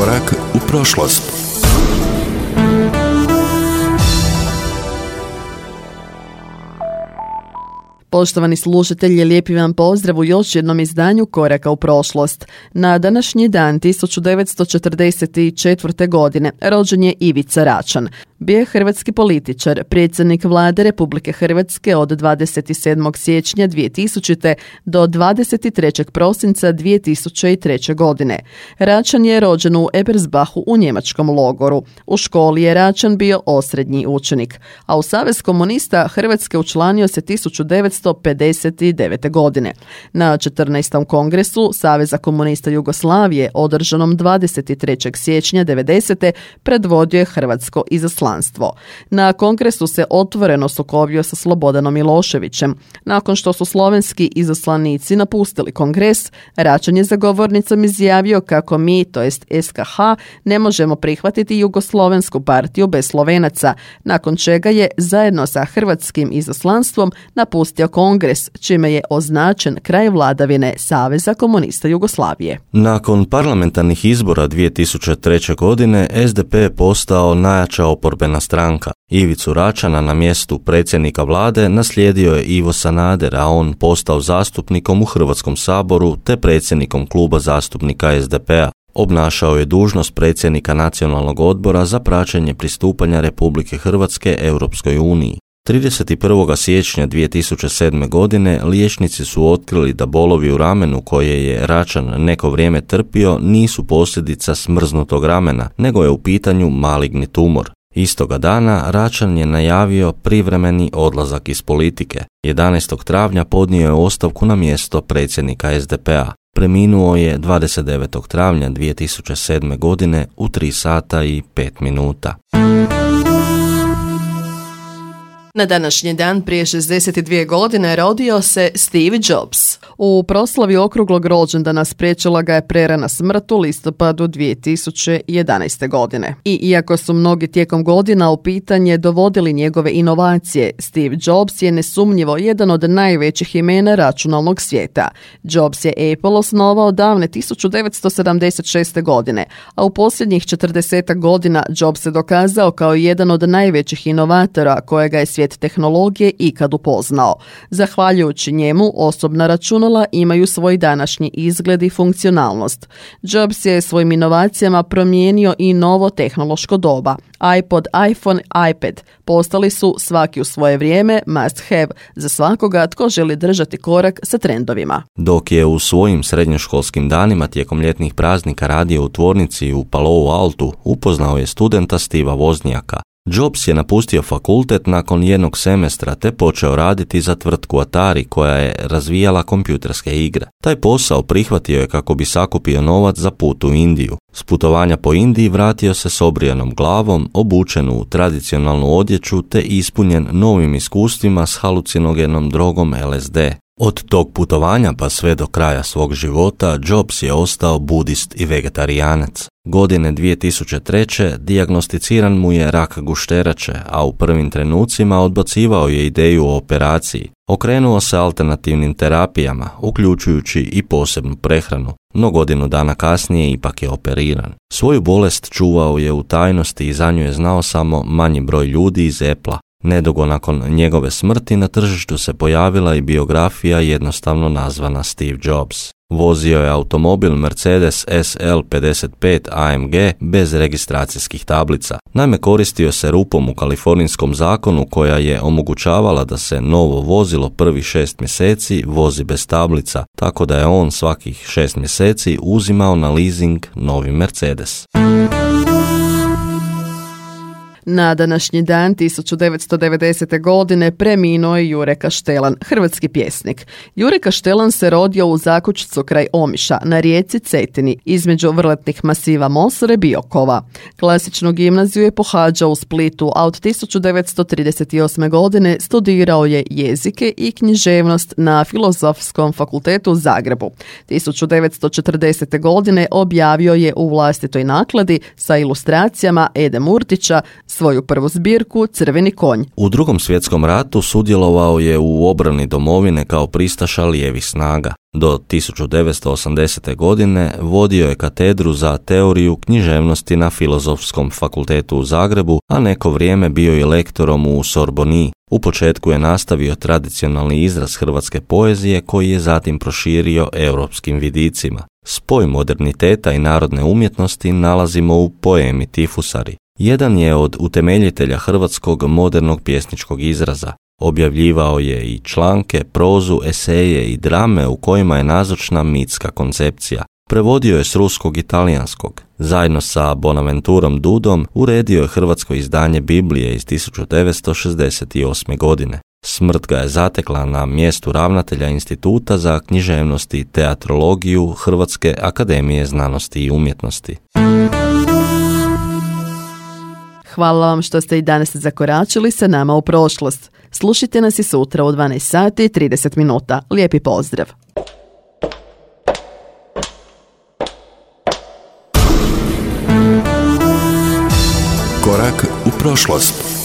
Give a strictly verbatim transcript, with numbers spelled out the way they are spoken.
Korak u prošlost. Poštovani slušatelji, lijepi vam pozdrav u još jednom izdanju Koraka u prošlost. Na današnji dan tisuću devetsto četrdeset četvrte. godine rođen je Ivica Račan. Bio je hrvatski političar, predsjednik vlade Republike Hrvatske od dvadeset sedmog siječnja dvije tisućite. do dvadeset trećeg prosinca dvije tisuće treće. godine. Račan je rođen u Ebersbachu u njemačkom logoru. U školi je Račan bio osrednji učenik, a u Savez komunista Hrvatske učlanio se tisuću devetsto pedeset devete. godine. Na četrnaestom kongresu Saveza komunista Jugoslavije, održanom dvadeset trećeg siječnja devedesete. predvodio je hrvatsko izaslanstvo. Na kongresu se otvoreno sukobio sa Slobodanom Miloševićem. Nakon što su slovenski izaslanici napustili kongres, Račan je za govornicom izjavio kako mi, to jest S K H, ne možemo prihvatiti Jugoslovensku partiju bez Slovenaca, nakon čega je zajedno sa hrvatskim izaslanstvom napustio kongres, čime je označen kraj vladavine Saveza komunista Jugoslavije. Nakon parlamentarnih izbora dvije tisuće treće. godine S D P je postao najjača oporbena stranka. Ivicu Račana na mjestu predsjednika vlade naslijedio je Ivo Sanader, a on postao zastupnikom u Hrvatskom saboru te predsjednikom kluba zastupnika S D P-a. Obnašao je dužnost predsjednika Nacionalnog odbora za praćenje pristupanja Republike Hrvatske Europskoj uniji. trideset prvog siječnja dvije tisuće sedme. godine liječnici su otkrili da bolovi u ramenu koje je Račan neko vrijeme trpio nisu posljedica smrznutog ramena, nego je u pitanju maligni tumor. Istoga dana Račan je najavio privremeni odlazak iz politike. jedanaestog travnja podnio je ostavku na mjesto predsjednika S D P-a. Preminuo je dvadeset devetog travnja dvije tisuće sedme. godine u tri sata i pet minuta. Na današnji dan prije šezdeset dvije. godine rodio se Steve Jobs. U proslavi okruglog rođendana spriječila ga je prerana smrt u listopadu dvije tisuće jedanaeste. godine. I iako su mnogi tijekom godina u pitanje dovodili njegove inovacije, Steve Jobs je nesumnjivo jedan od najvećih imena računalnog svijeta. Jobs je Apple osnovao davne tisuću devetsto sedamdeset šeste. godine, a u posljednjih četrdesetak godina Jobs se dokazao kao jedan od najvećih inovatora kojega je svijet tehnologije ikad upoznao. Zahvaljujući njemu, osobna računala imaju svoj današnji izgled i funkcionalnost. Jobs je svojim inovacijama promijenio i novo tehnološko doba. iPod, iPhone, iPad postali su svaki u svoje vrijeme must have za svakoga tko želi držati korak sa trendovima. Dok je u svojim srednjoškolskim danima tijekom ljetnih praznika radio u tvornici u Palo Altu, upoznao je studenta Steva Woznjaka. Jobs je napustio fakultet nakon jednog semestra te počeo raditi za tvrtku Atari koja je razvijala kompjuterske igre. Taj posao prihvatio je kako bi sakupio novac za put u Indiju. S putovanja po Indiji vratio se s obrijanom glavom, obučen u tradicionalnu odjeću te ispunjen novim iskustvima s halucinogenom drogom L S D. Od tog putovanja pa sve do kraja svog života Jobs je ostao budist i vegetarijanac. Godine dvije tisuće treće. dijagnosticiran mu je rak gušterače, a u prvim trenucima odbacivao je ideju o operaciji. Okrenuo se alternativnim terapijama, uključujući i posebnu prehranu, no godinu dana kasnije ipak je operiran. Svoju bolest čuvao je u tajnosti i za nju je znao samo manji broj ljudi iz Apple-a. Nedugo nakon njegove smrti na tržištu se pojavila i biografija jednostavno nazvana Steve Jobs. Vozio je automobil Mercedes S L pedeset pet A M G bez registracijskih tablica. Naime, koristio se rupom u kalifornijskom zakonu koja je omogućavala da se novo vozilo prvih šest mjeseci vozi bez tablica, tako da je on svakih šest mjeseci uzimao na leasing novi Mercedes. Na današnji dan tisuću devetsto devedesete. godine preminuo je Jure Kaštelan, hrvatski pjesnik. Jure Kaštelan se rodio u Zakučcu kraj Omiša, na rijeci Cetini, između vrletnih masiva Mosore i Biokova. Klasičnu gimnaziju je pohađao u Splitu, a od tisuću devetsto trideset osme. godine studirao je jezike i književnost na Filozofskom fakultetu u Zagrebu. tisuću devetsto četrdesete. godine objavio je u vlastitoj nakladi sa ilustracijama Ede Murtića svoju prvu zbirku Crveni konj. U Drugom svjetskom ratu sudjelovao je u obrani domovine kao pristaša lijevih snaga. Do tisuću devetsto osamdesete. godine vodio je katedru za teoriju književnosti na Filozofskom fakultetu u Zagrebu, a neko vrijeme bio i lektorom u Sorboniji. U početku je nastavio tradicionalni izraz hrvatske poezije koji je zatim proširio europskim vidicima. Spoj moderniteta i narodne umjetnosti nalazimo u poemi Tifusari. Jedan je od utemeljitelja hrvatskog modernog pjesničkog izraza. Objavljivao je i članke, prozu, eseje i drame u kojima je nazočna mitska koncepcija. Prevodio je s ruskog i talijanskog. Zajedno sa Bonaventurom Dudom uredio je hrvatsko izdanje Biblije iz tisuću devetsto šezdeset osme. godine. Smrt ga je zatekla na mjestu ravnatelja Instituta za književnost i teatrologiju Hrvatske akademije znanosti i umjetnosti. Hvala vam što ste i danas zakoračili sa nama u prošlost. Slušajte nas i sutra u dvanaest sati i trideset minuta. Lijepi pozdrav! Korak u prošlost.